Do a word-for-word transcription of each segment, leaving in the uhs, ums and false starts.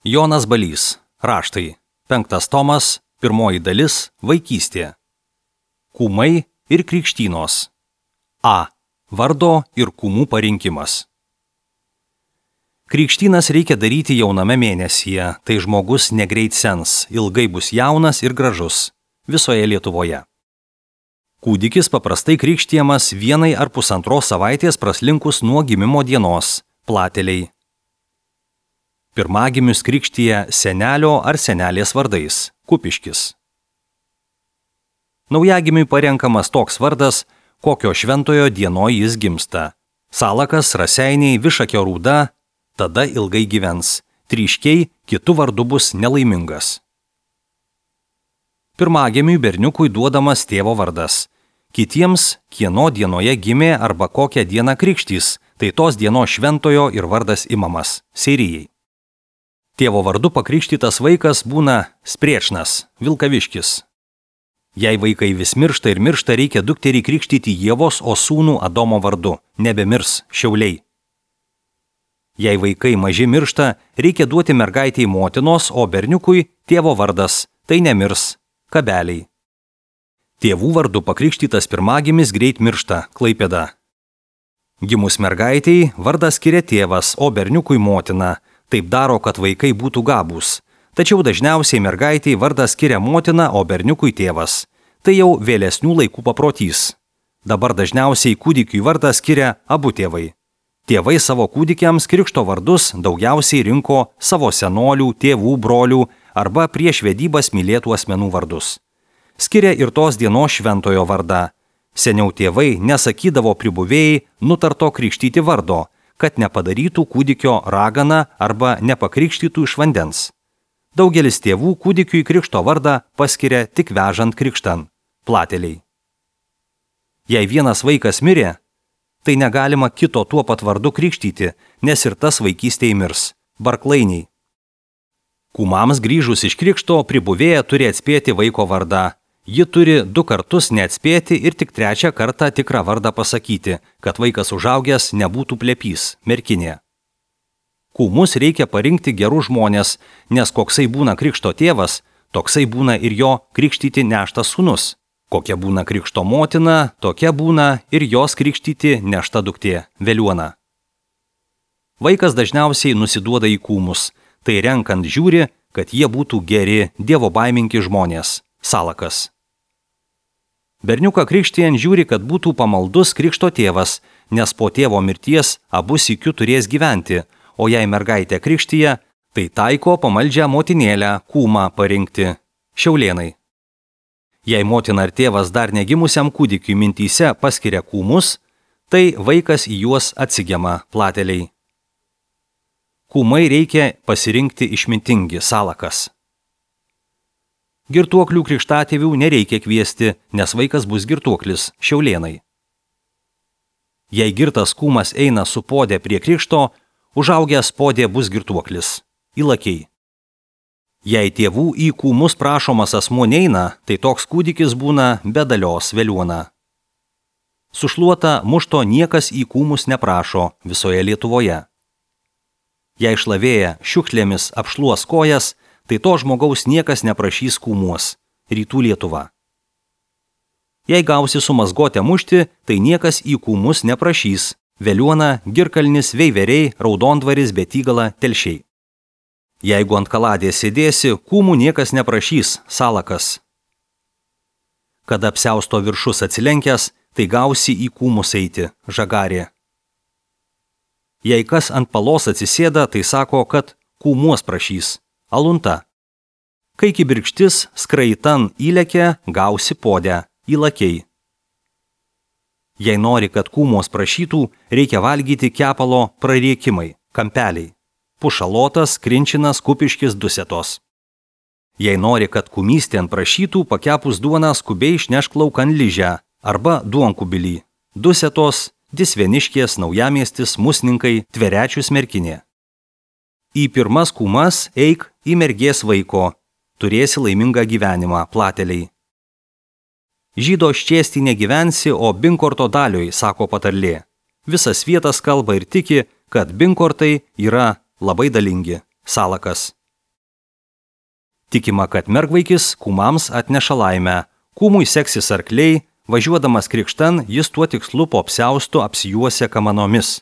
Jonas Balys. Raštai. Penktas tomas. Pirmoji dalis. Vaikystė. Kūmai ir krikštynos. A. Vardo ir kūmų parinkimas. Krikštynas reikia daryti jauname mėnesyje, tai žmogus negreit sens, ilgai bus jaunas ir gražus visoje Lietuvoje. Kūdikis paprastai krikštijamas vienai ar pusantros savaitės praslinkus nuo gimimo dienos, plateliai. Pirmagimius krikštija senelio ar senelės vardais, Kupiškis. Naujagimiui parenkamas toks vardas, kokio šventojo dienoj jis gimsta. Salakas, Raseiniai, Višakio Rūda, tada ilgai gyvens, Tryškiai kitų vardu bus nelaimingas. Pirmagimiui berniukui duodamas tėvo vardas. Kitiems, kieno dienoje gimė arba kokią dieną krikštys, tai tos dienos šventojo ir vardas imamas, Seirijai. Tėvo vardu pakrikštytas vaikas būna Spriečnas, Vilkaviškis. Jei vaikai vis miršta ir miršta, reikia dukterį krikštyti Ievos, o sūnų Adomo vardu, nebemirs, Šiauliai. Jei vaikai maži miršta, reikia duoti mergaitei motinos, o berniukui tėvo vardas, tai nemirs, Kabeliai. Tėvų vardu pakrikštytas pirmagimis greit miršta, Klaipėda. Gimus mergaitei vardą skiria tėvas, o berniukui motina, taip daro, kad vaikai būtų gabūs. Tačiau dažniausiai mergaitei vardą skiria motina, o berniukui tėvas. Tai jau vėlesnių laikų paprotys. Dabar dažniausiai kūdikiui vardą skiria abu tėvai. Tėvai savo kūdikiams krikšto vardus daugiausiai rinko savo senolių, tėvų, brolių arba prieš vedybas mylėtų asmenų vardus. Skiria ir tos dienos šventojo vardą. Seniau tėvai nesakydavo pribuvėjai nutarto krikštyti vardo, kad nepadarytų kūdikio raganą arba nepakrikštytų iš vandens. Daugelis tėvų kūdikiui krikšto vardą paskiria tik vežant krikštan, plateliai. Jei vienas vaikas mirė, tai negalima kito tuo pat vardu krikštyti, nes ir tas vaikystėje mirs, Barklainiai. Kūmams grįžus iš krikšto pribuvėja turi atspėti vaiko vardą. Ji turi du kartus neatspėti ir tik trečią kartą tikrą vardą pasakyti, kad vaikas užaugęs nebūtų plepys, merkinė. Kūmus reikia parinkti gerus žmonės, nes koksai būna krikšto tėvas, toksai būna ir jo krikštyti neštas sūnus. Kokia būna krikšto motina, tokia būna ir jos krikštyti nešta duktė, Veliuona. Vaikas dažniausiai nusiduoda į kūmus, tai renkant žiūri, kad jie būtų geri, dievobaimingi žmonės, Salakas. Berniuką krikštijant žiūri, kad būtų pamaldus krikšto tėvas, nes po tėvo mirties abu sykiu turės gyventi, o jei mergaitė krikštija, tai taiko pamaldžią motinėlę kūmą parinkti, Šiaulėnai. Jei motina ar tėvas dar negimusiam kūdikiui mintyse paskiria kūmus, tai vaikas į juos atsigema, plateliai. Kūmai reikia pasirinkti išmintingi, Salakas. Girtuoklių krikštatėvių nereikia kviesti, nes vaikas bus girtuoklis, Šiaulėnai. Jei girtas kūmas eina su podė prie krikšto, užaugęs podė bus girtuoklis, Įlakiai. Jei tėvų į kūmus prašomas asmuo neina, tai toks kūdikis būna bedalios, Veliuona. Sušluota mušto niekas į kūmus neprašo visoje Lietuvoje. Jei šlavėja šiukšlėmis apšluos kojas, tai to žmogaus niekas neprašys kūmuos, Rytų Lietuva. Jei gausi su mazgotė mušti, tai niekas į kūmus neprašys, Veliuona, Girkalnis, Veiveriai, Raudondvaris, Betygala, Telšiai. Jeigu ant kaladės sėdėsi, kūmų niekas neprašys, Salakas. Kada apsiausto viršus atsilenkęs, tai gausi į kūmus eiti, Žagarė. Jei kas ant palos atsisėda, tai sako, kad kūmuos prašys, Alunta. Kai kibirkštis skraitan įlekia, gausi podę, Įlakiai. Jei nori, kad kūmos prašytų, reikia valgyti kepalo prariekimai, Kampeliai. Pušalotas, Krinčinas, Kupiškis, Dusetos. Jei nori, kad kūmystėn prašytų, pakepus duoną skubiai išnešk laukan Ližę arba duonkubilį, Dusetos, Disveniškės, Naujamiestis, Musninkai, Tverečius, Merkinė. Į pirmas kūmas eik į mergės vaiko, turėsi laimingą gyvenimą, plateliai. Žydo ščiesti negyvensi, o binkorto dalioj, sako patarlė. Visas vietas kalba ir tiki, kad binkortai yra labai dalingi, Salakas. Tikima, kad mergvaikis kūmams atneša laimę. Kūmui seksis arkliai, važiuodamas krikštan jis tuo tikslu po apsiaustu apsijuosia kamanomis.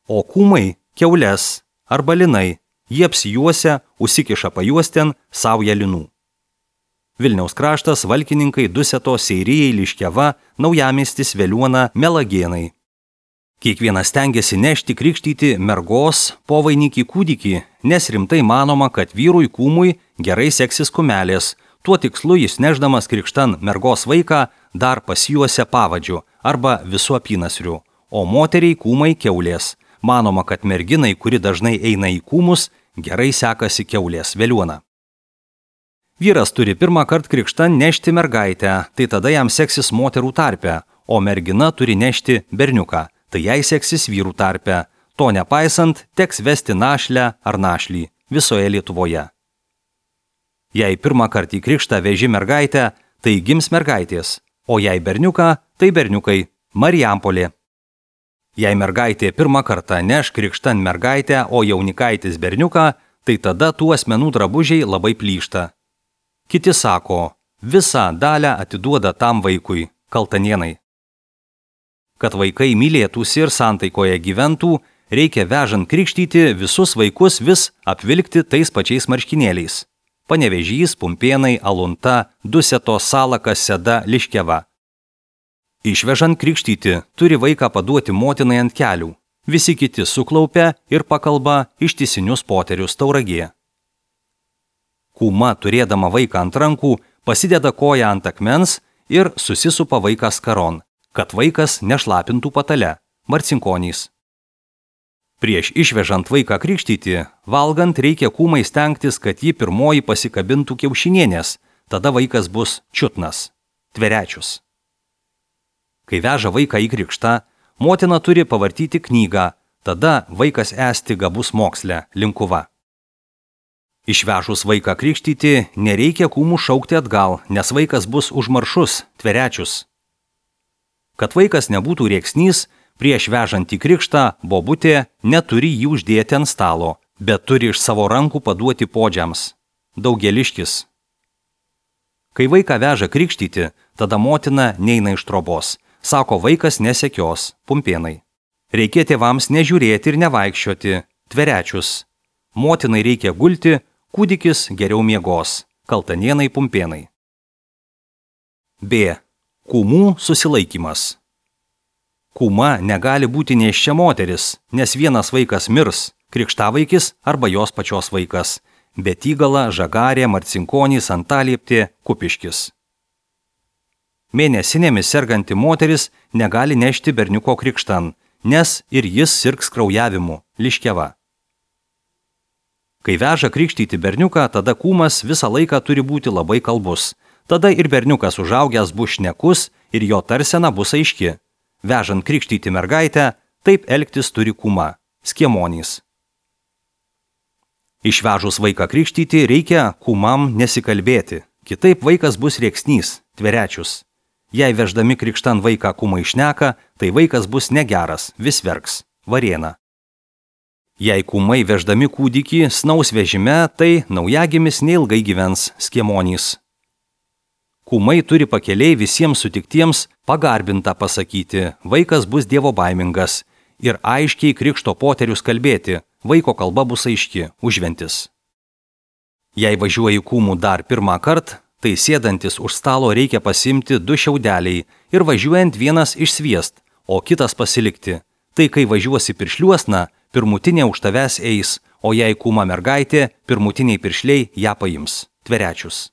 O kūmai kiaules arba linai, jie apsijuosia, užsikiša pajuosten saują linų. Vilniaus kraštas, Valkininkai, Duseto, Seirijai, Liškiava, Naujamiestis, Veliuona, Melagėnai. Kiekvienas stengiasi nešti krikštyti mergos povainikį kūdikį, nes rimtai manoma, kad vyrui kūmui gerai seksis kumelės. Tuo tikslu jis neždamas krikštan mergos vaiką dar pasijuosia pavadžiu arba visų apynasriu, o moteriai kūmai kiaulės. Manoma, kad merginai, kuri dažnai eina į kūmus, gerai sekasi kiaulės Veliuona. Vyras turi pirmą kartą krikštan nešti mergaitę, tai tada jam seksis moterų tarpe, o mergina turi nešti berniuką, tai jai seksis vyrų tarpe. To nepaisant, teks vesti našlę ar našlį visoje Lietuvoje. Jei pirmą kartą į krikštą veži mergaitę, tai gims mergaitės, o jei berniuką, tai berniukai Marijampolė. Jei mergaitė pirmą kartą neš krikštan mergaitę, o jaunikaitis berniuką, tai tada tų asmenų drabužiai labai plyšta. Kiti sako, visą dalę atiduoda tam vaikui, kaltanienai. Kad vaikai mylėtųsi ir santaikoje gyventų, reikia vežant krikštyti visus vaikus vis apvilkti tais pačiais marškinėliais. Panevėžys, Pumpėnai, Alunta, Duseto, Salakas, Seda, Liškiava. Išvežant krikštyti turi vaiką paduoti motinai ant kelių. Visi kiti suklaupia ir pakalba ištisinius poterius Tauragėje. Kūma, turėdama vaiką ant rankų, pasideda koją ant akmens ir susisupa vaiką skaron, kad vaikas nešlapintų patale, Marcinkonys. Prieš išvežant vaiką krikštyti, valgant reikia kūmai stengtis, kad ji pirmoji pasikabintų kiaušinienės, tada vaikas bus čiutnas, tverečius. Kai veža vaiką į krikštą, motina turi pavartyti knygą, tada vaikas esti gabus moksle, linkuva. Išvežus vaiką krikštyti, nereikia kūmų šaukti atgal, nes vaikas bus užmaršus, tverečius. Kad vaikas nebūtų rėksnys, prieš vežant į krikštą bobutė neturi jį uždėti ant stalo, bet turi iš savo rankų paduoti podžiams. Daugeliškis. Kai vaiką veža krikštyti, tada motina neina iš trobos. Sako, vaikas nesekios, Pumpėnai. Reikia tėvams nežiūrėti ir nevaikščioti, tverečius. Motinai reikia gulti, kūdikis geriau miegos, Kaltanienai, Pumpėnai. B. Kūmų susilaikymas. Kūma negali būti nėščia moteris, nes vienas vaikas mirs, krikštavaikis arba jos pačios vaikas, Betygala, Žagarė, Marcinkonys, Antalieptė, Kupiškis. Mėnesinėmis serganti moteris negali nešti berniuko krikštan, nes ir jis sirgs kraujavimu, Liškiava. Kai veža krikštyti berniuką, tada kūmas visą laiką turi būti labai kalbus. Tada ir berniukas užaugęs bus šnekus ir jo tarsena bus aiški. Vežant krikštyti mergaitę, taip elgtis turi kūma, Skiemonys. Išvežus vaiką krikštyti reikia kūmam nesikalbėti, kitaip vaikas bus rėksnys, tverečius. Jei veždami krikštan vaiką kūmai šneka, tai vaikas bus negeras, vis verks, Varėna. Jei kūmai veždami kūdikį snaus vežime, tai naujagimis neilgai gyvens, Skiemonys. Kūmai turi pakeliai visiems sutiktiems pagarbintą pasakyti, vaikas bus dievobaimingas ir aiškiai krikšto poterius kalbėti, vaiko kalba bus aiški, užventis. Jei važiuoji kūmų dar pirmą kartą, tai sėdantis už stalo reikia pasimti du šiaudeliai ir važiuojant vienas išsviest, o kitas pasilikti. Tai kai važiuosi piršliuosna, pirmutinė už tavęs eis, o jei kūma mergaitė, pirmutiniai piršliai ją paims, tverečius.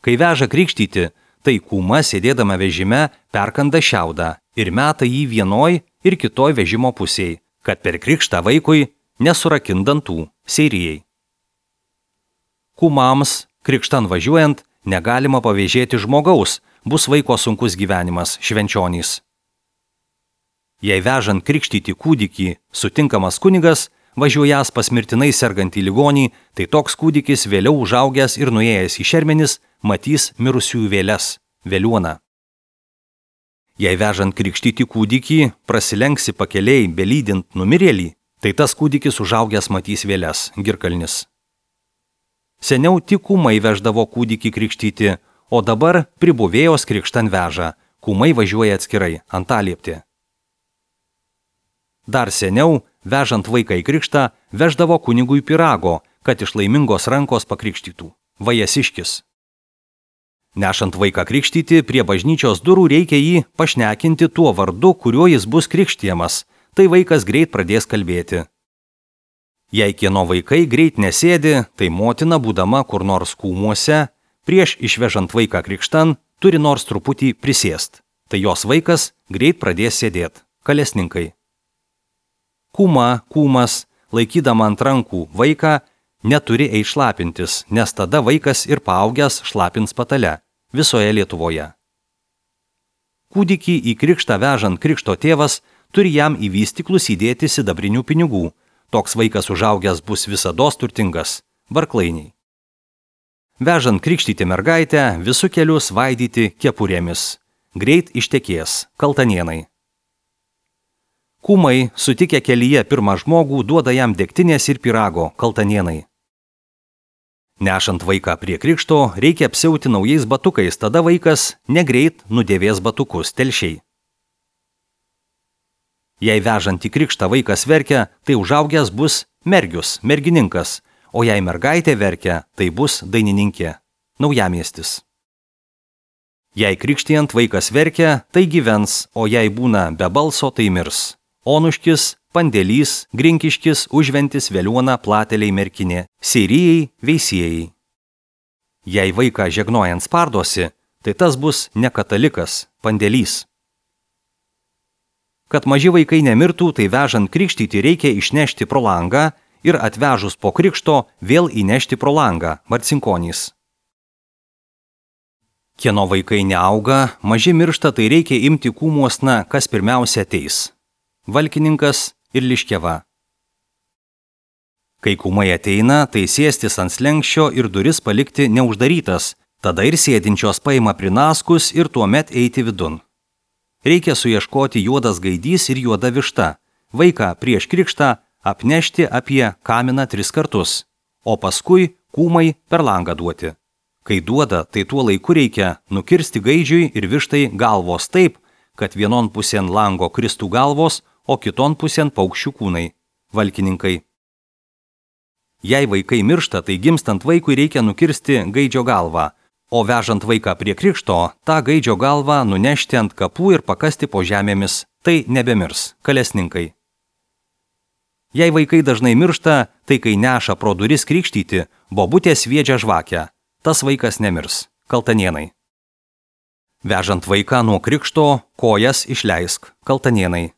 Kai veža krikštyti, tai kūma sėdėdama vežime perkanda šiaudą ir meta jį vienoj ir kitoj vežimo pusėj, kad per krikštą vaikui nesurakindantų, Seirijai. Kūmams krikštan važiuojant negalima pavėžėti žmogaus, bus vaiko sunkus gyvenimas, Švenčionys. Jei vežant krikštyti kūdikį sutinkamas kunigas, važiuojas pas mirtinai sergantį ligonį, tai toks kūdikis vėliau užaugęs ir nuėjęs į šermenis matys mirusiųjų vėles, Veliuona. Jei vežant krikštyti kūdikį prasilenksi pakeliai belydint numirėlį, tai tas kūdikis užaugęs matys vėles, Girkalnis. Seniau tik kūmai veždavo kūdikį krikštyti, o dabar pribuvėjos krikštan veža, kūmai važiuoja atskirai, antaliepti. Dar seniau, vežant vaiką į krikštą, veždavo kunigui pyrago, kad iš laimingos rankos pakrikštytų. Vajasiškis. Nešant vaiką krikštyti, prie bažnyčios durų reikia jį pašnekinti tuo vardu, kuriuo jis bus krikštijamas, tai vaikas greit pradės kalbėti. Jei kieno vaikai greit nesėdi, tai motina, būdama kur nors kūmuose, prieš išvežant vaiką krikštan, turi nors truputį prisėst. Tai jos vaikas greit pradės sėdėt. Kalesninkai. Kūma, kūmas, laikydama ant rankų vaiką, neturi eiti šlapintis, nes tada vaikas ir paaugęs šlapins patale visoje Lietuvoje. Kūdikį į krikštą vežant krikšto tėvas turi jam į vystyklus įdėti sidabrinių pinigų. Toks vaikas užaugęs bus visados turtingas. Barklainiai. Vežant krikštyti mergaitę, visų kelių svaidyti kepurėmis. Greit ištekės. Kaltanienai. Kūmai, sutikę kelyje pirmą žmogų, duoda jam degtinės ir pyrago. Kaltanienai. Nešant vaiką prie krikšto, reikia apsiauti naujais batukais, tada vaikas negreit nudėvės batukus. Telšiai. Jei vežant į krikštą vaikas verkia, tai užaugęs bus mergius, mergininkas, o jei mergaitė verkia, tai bus dainininkė. Naujamiestis. Jei krikštijant vaikas verkia, tai gyvens, o jei būna be balso, tai mirs. Onuškis, Pandėlys, Grinkiškis, Užventis, Veliuona, Plateliai, Merkinė, Seirijai, Veisiejai. Jei vaiką žegnojant spardosi, tai tas bus ne katalikas, Pandėlys. Kad maži vaikai nemirtų, tai vežant krikštyti reikia išnešti pro langą ir atvežus po krikšto vėl įnešti pro langą, Marcinkonys. Kieno vaikai neauga, maži miršta, tai reikia imti kūmuosna, kas pirmiausia ateis. Valkininkas ir Liškeva. Kai kūmai ateina, tai sėstis ant slenkščio ir duris palikti neuždarytas, tada ir sėdinčios paima prinaskus ir tuomet eiti vidun. Reikia suieškoti juodas gaidys ir juoda višta, vaiką prieš krikštą apnešti apie kaminą tris kartus, o paskui kūmai per langą duoti. Kai duoda, tai tuo laiku reikia nukirsti gaidžiui ir vištai galvos taip, kad vienon pusėn lango kristų galvos, o kiton pusėn paukščių kūnai. Valkininkai. Jei vaikai miršta, tai gimstant vaikui reikia nukirsti gaidžio galvą, o vežant vaiką prie krikšto, tą gaidžio galvą nunešti ant kapų ir pakasti po žemėmis, tai nebemirs. Kalesninkai. Jei vaikai dažnai miršta, tai kai neša pro duris krikštyti, bobutė sviedžia žvakę. Tas vaikas nemirs. Kaltanienai. Vežant vaiką nuo krikšto, kojas išleisk. Kaltanienai.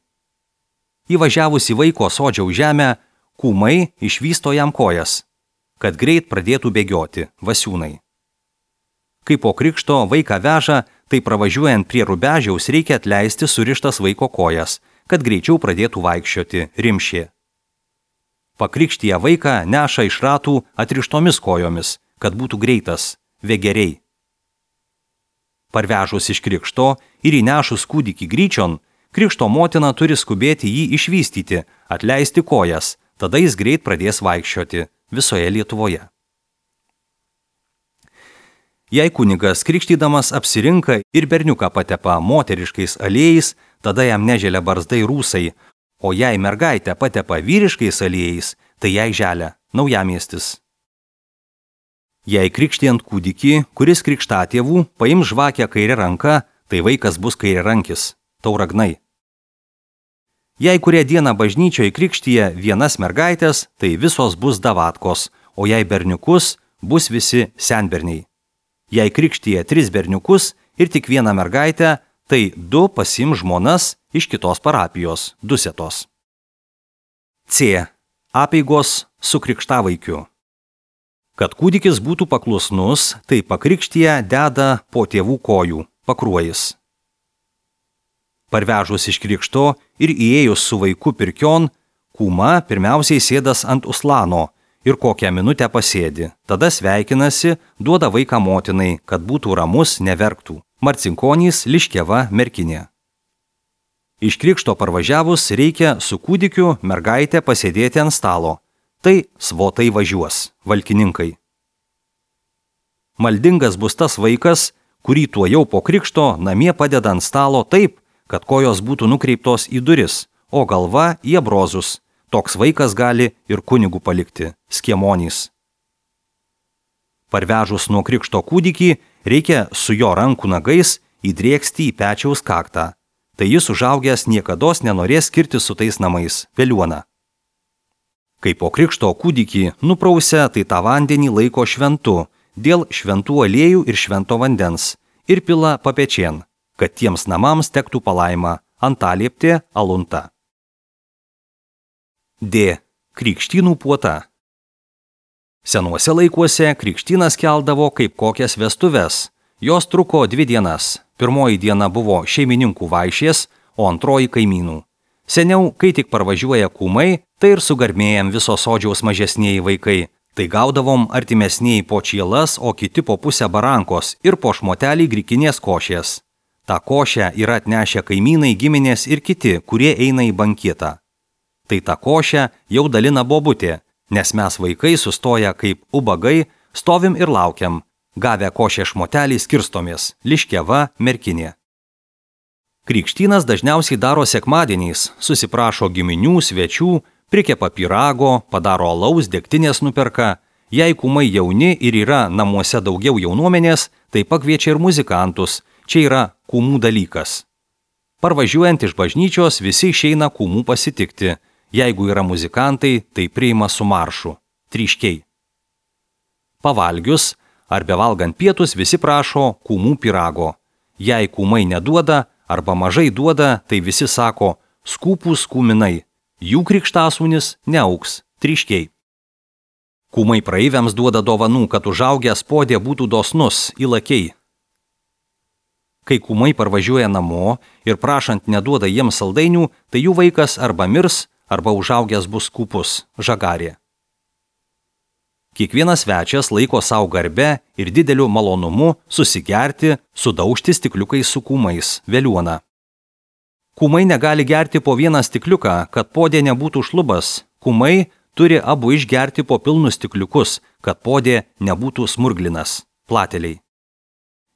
Įvažiavus į vaiko sodžiaus žemę, kūmai išvysto jam kojas, kad greit pradėtų bėgioti. Vasiūnai. Kai po krikšto vaiką veža, tai pravažiuojant prie rubežiaus reikia atleisti surištas vaiko kojas, kad greičiau pradėtų vaikščioti. Rimšė. Pakrikštyje vaiką neša iš ratų atrištomis kojomis, kad būtų greitas. Vegeriai. Parvežus iš krikšto ir įnešus kūdikį gryčion, krikšto motina turi skubėti jį išvystyti, atleisti kojas, tada jis greit pradės vaikščioti visoje Lietuvoje. Jei kunigas krikštydamas apsirinka ir berniuką patepa moteriškais aliejais, tada jam neželia barzdai rūsai, o jei mergaitę patepa vyriškais aliejais, tai jai želia. Naujamiestis. Jei krikštijant kūdikį, kuris krikštatėvų, paims žvakę kairę ranką, tai vaikas bus kairiarankis. Tauragnai. Jei kurią dieną bažnyčioje krikštyje vienas mergaitės, tai visos bus davatkos, o jei berniukus, bus visi senberniai. Jei krikštyje tris berniukus ir tik vieną mergaitę, tai du pasiim žmonas iš kitos parapijos, dusetos. C. Apeigos su krikštavaikiu. Kad kūdikis būtų paklusnus, tai pakrikštyje deda po tėvų kojų, pakruojis. Parvežus iš krikšto ir įėjus su vaiku pirkion, kūma pirmiausiai sėdas ant uslano ir kokią minutę pasėdi, tada sveikinasi, duoda vaiką motinai, kad būtų ramus, neverktų. Marcinkonys, Liškeva, Merkinė. Iš krikšto parvažiavus reikia su kūdikiu mergaitę pasėdėti ant stalo. Tai svotai važiuos. Valkininkai. Maldingas bus tas vaikas, kurį tuojau po krikšto namie padeda ant stalo taip, kad kojos būtų nukreiptos į duris, o galva į abrozus. Toks vaikas gali ir kunigų palikti, skiemonys. Parvežus nuo krikšto kūdikį, reikia su jo rankų nagais įdrėksti į pečiaus kaktą. Tai jis užaugęs niekados nenorės skirti su tais namais, veliuona. Kai po krikšto kūdikį nuprausia, tai tą vandenį laiko šventu, dėl šventų aliejų ir švento vandens, ir pila papečien, kad tiems namams tektų palaima, antalieptė alunta. D. Krikštynų puota. Senuose laikuose krikštynas keldavo kaip kokias vestuves. Jos truko dvi dienas. Pirmoji diena buvo šeimininkų vaišės, o antroji kaimynų. Seniau, kai tik parvažiuoja kūmai, tai ir sugarmėjam viso sodžiaus mažesnieji vaikai. Tai gaudavom artimesnieji po čielas, o kiti po pusę barankos ir po šmotelį grikinės košės. Ta košę yra atnešę kaimynai, giminės ir kiti, kurie eina į banketą. Tai ta košę jau dalina bobutė, nes mes vaikai sustoja kaip ubagai, stovim ir laukiam. Gavę košę šmotelį skirstomės, liškiava, merkinė. Krikštynas dažniausiai daro sekmadieniais, susiprašo giminių, svečių, prikepa pyrago, padaro alaus, degtinės nuperka. Jei kūmai jauni ir yra namuose daugiau jaunuomenės, tai pakviečia ir muzikantus, čia yra kūmų dalykas. Parvažiuojant iš bažnyčios visi išeina kūmų pasitikti. Jeigu yra muzikantai, tai priima su maršu, tryškiai. Pavalgius ar bevalgant pietus visi prašo kūmų pyrago. Jei kūmai neduoda arba mažai duoda, tai visi sako skūpūs kūminai, jų krikštasūnis neauks, tryškiai. Kūmai praeiviams duoda dovanų, kad užaugęs podė būtų dosnus, įlakiai. Kai kūmai parvažiuoja namo ir prašant neduoda jiems saldainių, tai jų vaikas arba mirs, arba užaugęs bus skūpus, žagarė. Kiekvienas svečias laiko savo garbę ir dideliu malonumu susigerti, sudaužti stikliukais su kūmais, veliuona. Kūmai negali gerti po vieną stikliuką, kad podė nebūtų šlubas. Kūmai turi abu išgerti po pilnus stikliukus, kad podė nebūtų smurglinas, plateliai.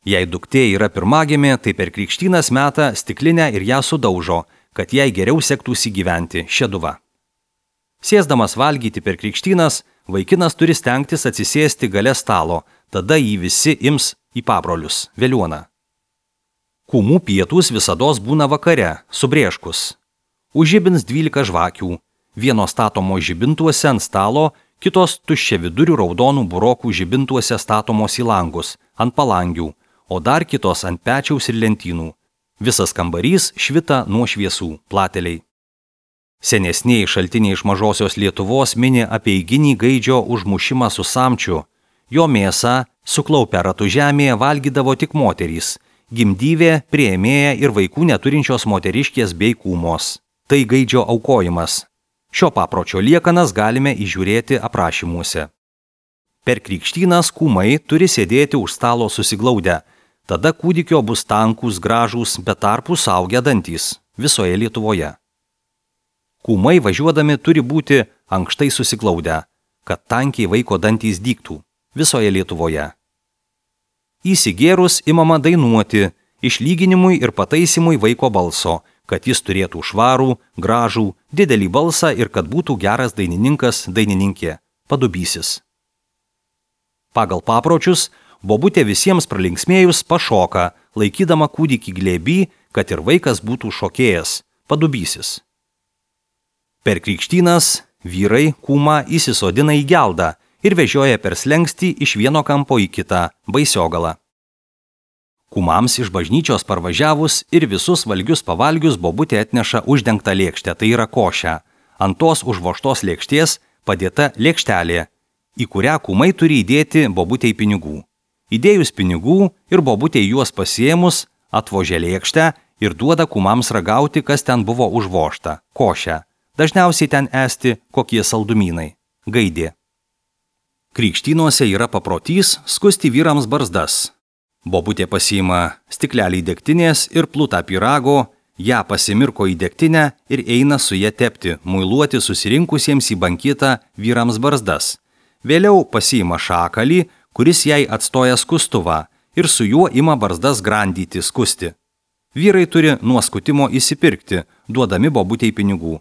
Jei duktė yra pirmagimė, tai per krikštynas meta stiklinę ir ją sudaužo, kad jai geriau sektųsi gyventi, šeduva. Sėsdamas valgyti per krikštynas, vaikinas turi stengtis atsisėsti gale stalo, tada jį visi ims į pabrolius, veliuona. Kūmų pietūs visados būna vakare, subrėškus. Užžibins dvylika žvakių, vienos statomos žibintuose ant stalo, kitos tuščia vidurių raudonų burokų žibintuose statomos į langus, ant palangių, o dar kitos ant pečiaus ir lentynų. Visas kambarys švita nuo šviesų, plateliai. Senesnieji šaltiniai iš mažosios Lietuvos mini apie eiginį gaidžio užmušimą su samčiu. Jo mėsą, suklaupę ratų žemėje, valgydavo tik moterys, gimdyvė, priėmėja ir vaikų neturinčios moteriškės bei kūmos. Tai gaidžio aukojimas. Šio papročio liekanas galime įžiūrėti aprašymuose. Per krikštynas kūmai turi sėdėti už stalo susiglaudę. Tada kūdikio bus tankus, gražūs, bet tarpų suaugę dantys visoje Lietuvoje. Kūmai važiuodami turi būti ankštai susiglaudę, kad tankiai vaiko dantys dygtų visoje Lietuvoje. Įsigėrus imama dainuoti, išlyginimui ir pataisimui vaiko balso, kad jis turėtų švarų, gražų, didelį balsą ir kad būtų geras dainininkas, dainininkė, padubysis. Pagal papročius, bobutė visiems pralinksmėjus pašoka, laikydama kūdikį glėby, kad ir vaikas būtų šokėjas, padubysis. Per krikštynas vyrai kūmą įsisodina į geldą ir vežioja per slengstį iš vieno kampo į kitą, baisiogalą. Kūmams iš bažnyčios parvažiavus ir visus valgius pavalgius bobutė atneša uždengtą lėkštę, tai yra košę. Ant tos užvožtos lėkštės padėta lėkštelė, į kurią kūmai turi įdėti bobutei pinigų. Įdėjus pinigų ir bobutė juos pasiėmus, atvožė lėkštę ir duoda kūmams ragauti, kas ten buvo užvožta, košę. Dažniausiai ten esti kokie saldumynai, gaidė. Krikštynuose yra paprotys skusti vyrams barzdas. Bobutė pasiima stiklelį degtinės ir plutą pyrago, ją pasimirko į degtinę ir eina su ja tepti, muiluoti susirinkusiems į banketą vyrams barzdas. Vėliau pasiima šakalį, kuris jai atstoja skustuvą ir su juo ima barzdas grandyti, skusti. Vyrai turi nuo skutimo įsipirkti, duodami bobutei pinigų.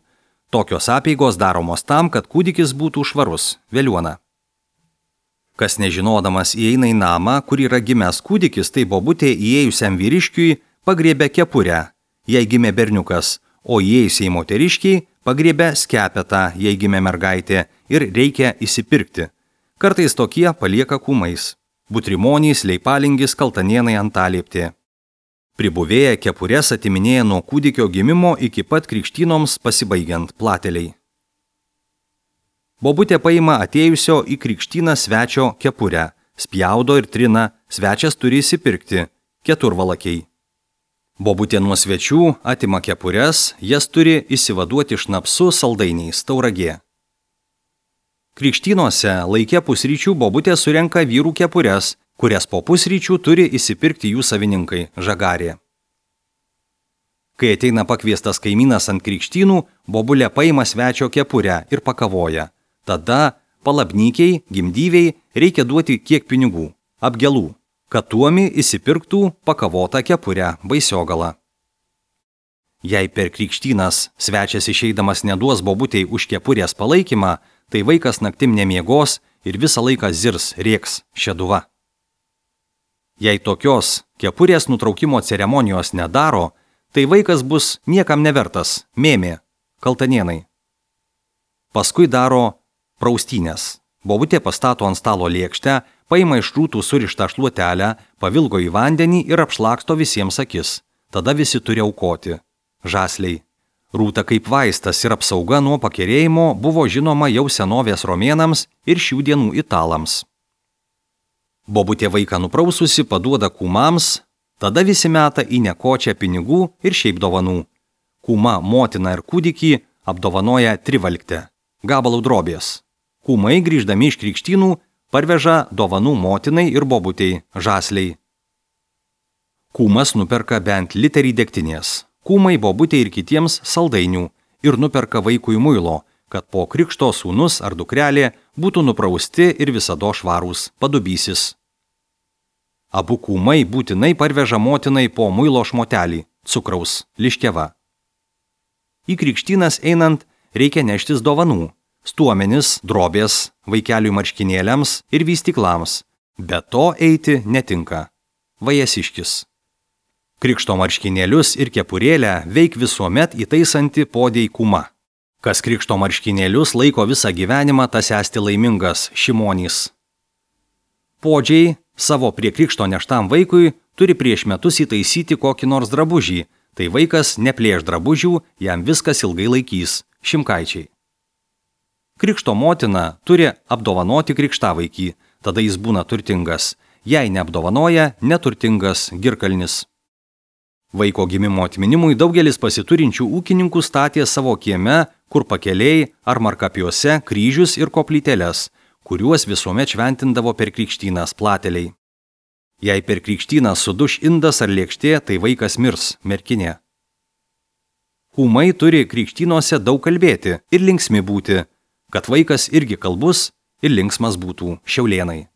Tokios apeigos daromos tam, kad kūdikis būtų švarus, veliuona. Kas nežinodamas įeina į namą, kur yra gimęs kūdikis, tai bobutė įėjusiam vyriškiui pagriebė kepurę, jei gimė berniukas, o įėjusiai moteriškiai pagriebė skepetą, jei gimė mergaitė, ir reikia įsipirkti. Kartais tokie palieka kūmais. Butrimonys, leipalingis, kaltanienai antalieptė. Pribuvėję kepurės atiminėja nuo kūdikio gimimo iki pat krikštynoms pasibaigiant plateliai. Bobutė paima atėjusio į krikštyną svečio kepurę, spjaudo ir trina, svečias turi įsipirkti, keturvalakiai. Bobutė nuo svečių atima kepures, jas turi įsivaduoti šnapsu, saldainiais, tauragė. Krikštynuose laike pusryčių bobutė surenka vyrų kepures, kurias po pusryčių turi įsipirkti jų savininkai, žagarė. Kai ateina pakviestas kaimynas ant krikštynų, bobulė paima svečio kepurę ir pakavoja. Tada palabnykiai, gimdyviai reikia duoti kiek pinigų, apgelų, kad tuomi įsipirktų pakavotą kepurę, baisiogalą. Jei per krikštynas svečias išeidamas neduos bobutei už kepurės palaikymą, tai vaikas naktim nemiegos ir visą laiką zirs, rėks, šeduva. Jei tokios kepurės nutraukimo ceremonijos nedaro, tai vaikas bus niekam nevertas, mėmė, kaltanienai. Paskui daro praustynės. Bobutė pastato ant stalo lėkštę, paima iš rūtų surištą šluotelę, pavilgo į vandenį ir apšlaksto visiems akis. Tada visi turi aukoti. Žasliai. Rūta kaip vaistas ir apsauga nuo pakerėjimo buvo žinoma jau senovės romėnams ir šių dienų italams. Bobutė vaiką nupraususi paduoda kūmams, tada visi meta į nekočią pinigų ir šiaip dovanų. Kūma, motina ir kūdikį apdovanoja trivalktę, gabalų drobės. Kūmai grįždami iš krikštynų parveža dovanų motinai ir bobutei, žasliai. Kūmas nuperka bent literį degtinės, kūmai bobutei ir kitiems saldainių ir nuperka vaikui muilo, kad po krikšto sūnus ar dukrelė būtų nuprausti ir visado švarūs, padubysis. Abu kūmai būtinai parveža motinai po muilo šmotelį, cukraus, liškeva. Į krikštynas einant reikia neštis dovanų. Stuomenis, drobės, vaikeliui marškinėliams ir vystyklams. Be to eiti netinka. Vajasiškis. Krikšto marškinėlius ir kepurėlę veik visuomet įtaisanti podėj kūma. Kas krikšto marškinėlius laiko visą gyvenimą, tas esti laimingas, šimonys. Podžiai savo prie krikšto neštam vaikui turi prieš metus įtaisyti kokį nors drabužį, tai vaikas neplėš drabužių, jam viskas ilgai laikys, šimkaičiai. Krikšto motina turi apdovanoti krikštavaikį, tada jis būna turtingas, jei neapdovanoja, neturtingas girkalnis. Vaiko gimimo atminimui daugelis pasiturinčių ūkininkų statė savo kieme, kur pakeliai ar markapiuose kryžius ir koplyteles, kuriuos visuomet šventindavo per krikštynas plateliai. Jei per krikštyną suduš indas ar lėkštė, tai vaikas mirs, merkinė. Kūmai turi krikštynuose daug kalbėti ir linksmi būti, kad vaikas irgi kalbus ir linksmas būtų, šiaulėnai.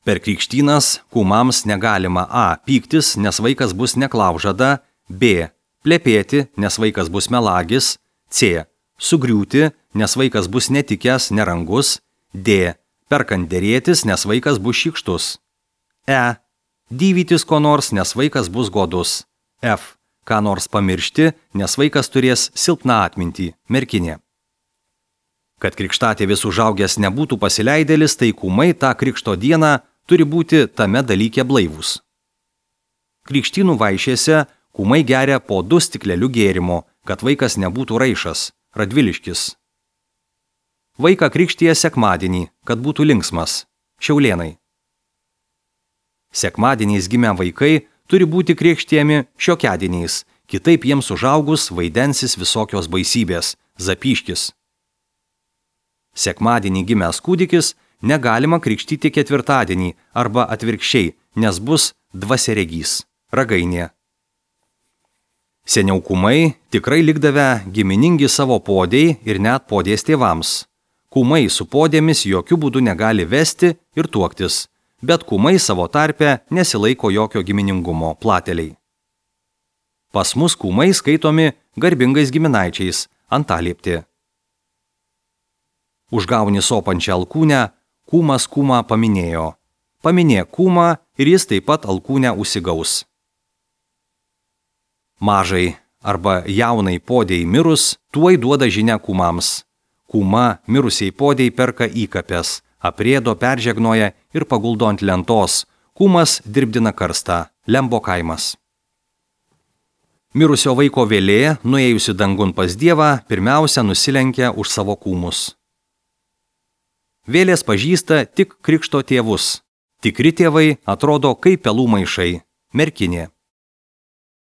Per krikštynas kūmams negalima a. pyktis, nes vaikas bus neklaužada, b. plepėti, nes vaikas bus melagis, c. sugriūti, nes vaikas bus netikęs, nerangus, d. perkant derėtis, nes vaikas bus šykštus, e. dyvytis ko nors, nes vaikas bus godus, f. ką nors pamiršti, nes vaikas turės silpną atmintį, merkinė. Kad krikštatėvis užaugęs nebūtų pasileidėlis, tai kūmai tą krikšto dieną turi būti tame dalyke blaivūs. Krikštynų vaišėse kūmai geria po du stiklelių gėrimo, kad vaikas nebūtų raišas, radviliškis. Vaiką krikštija sekmadienį, kad būtų linksmas, šiaulėnai. Sekmadieniais gimę vaikai turi būti krikštijami šiokiadieniais, kitaip jiems užaugus vaidensis visokios baisybės, zapyškis. Sekmadienį gimęs kūdikis negalima krikštyti ketvirtadienį arba atvirkščiai, nes bus dvasiaregys, ragainė. Seniau kūmai tikrai likdavę giminingi savo podėj ir net podės tėvams. Kūmai su podėmis jokių būdų negali vesti ir tuoktis, bet kūmai savo tarpe nesilaiko jokio giminingumo plateliai. Pas mus kūmai skaitomi garbingais giminaičiais, antaliepti. Užgauni sopančią alkūnę, kūmas kūmą paminėjo. Paminė kūmą ir jis taip pat alkūnę užsigaus. Mažai arba jaunai podėjai mirus, tuoj duoda žinią kūmams. Kūma mirusiai podėjai perka įkapes, aprėdo, peržegnoja ir paguldo ant lentos. Kūmas dirbdina karstą, Lembo kaimas. Mirusio vaiko vėlė, nuėjusi dangun pas Dievą, pirmiausia nusilenkia už savo kūmus. Vėlės pažįsta tik krikšto tėvus. Tikri tėvai atrodo kaip pelų maišai, merkinė.